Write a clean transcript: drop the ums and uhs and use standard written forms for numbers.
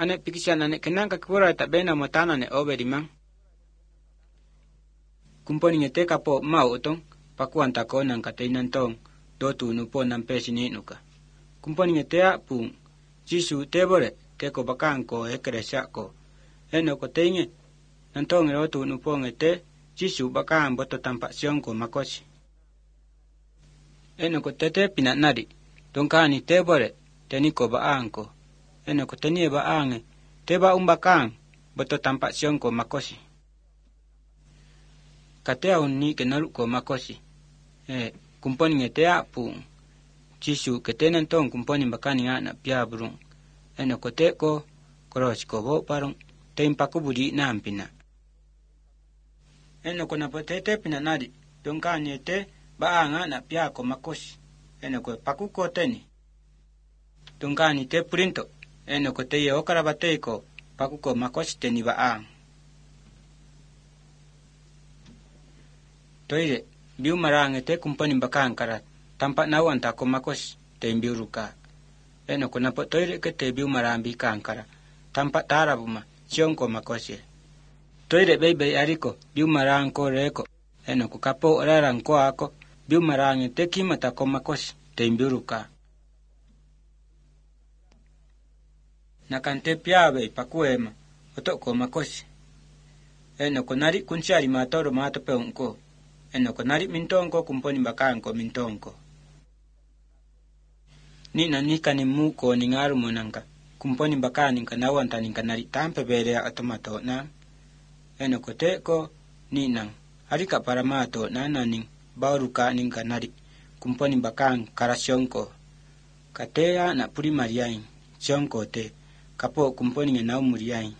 ane pikisyan ane kenang kakura tabena motana ne oberimang. Kumponi ngete kapo mau utong pakuan tako nang katainan tong dotu nupo nampe sininuka. Kumponi ngete apung Jisu tebore keko bakangko ekeresyako. Eno ko teinge nantong erotu nupo ngete Jisu bakang boto tampak siongko makosi. Eno ko tete pinanadi dongkani tebore teniko baangko. Eno ko tenie baange teba umbakang boto tampak siongko makosi. Katea unni kenaluko makosi. Kumponi ngete apung Jisu ketenan tong kumponi bakani anak pia burung. Eno ko teko koros ko bo parong tempaku budi nampina. Eno ko napotete pinanadi dongkani ete baanga anak pia ko makosi. Eno ko pakuko teni. Dongkani te purinto. Eno ko te ye okarabate ko pakuko makosi teni baang. Toire biu marang ete kumponi bakang karat tampak nawan tako makos te biu ruka. Eno ko napo toire ke te biu marang bikang kara tampak tarabuma siongko makosi. Toire bebe ariko biu marang ko reko. Eno ko kapo orarang ko ako biu marang ete kimata ko makosi te biu ruka. Nakante piabe pakuema otok ko makosi. Eno ko nari kunsiari matoro mato peungko. Eno ko nari mintongko kumponi bakangko mintongko. Ni nanikani muko ni ngaru monangka. Kumponi bakani kanawan taninka nari tampe berea otomato na. Eno ko teko ni nang. Harika para mato na naning bauruka ninka nari. Kumponi bakang karasyongko. Katea na puri mariain. Syongko te. Kapo kumponi ngenau muriain.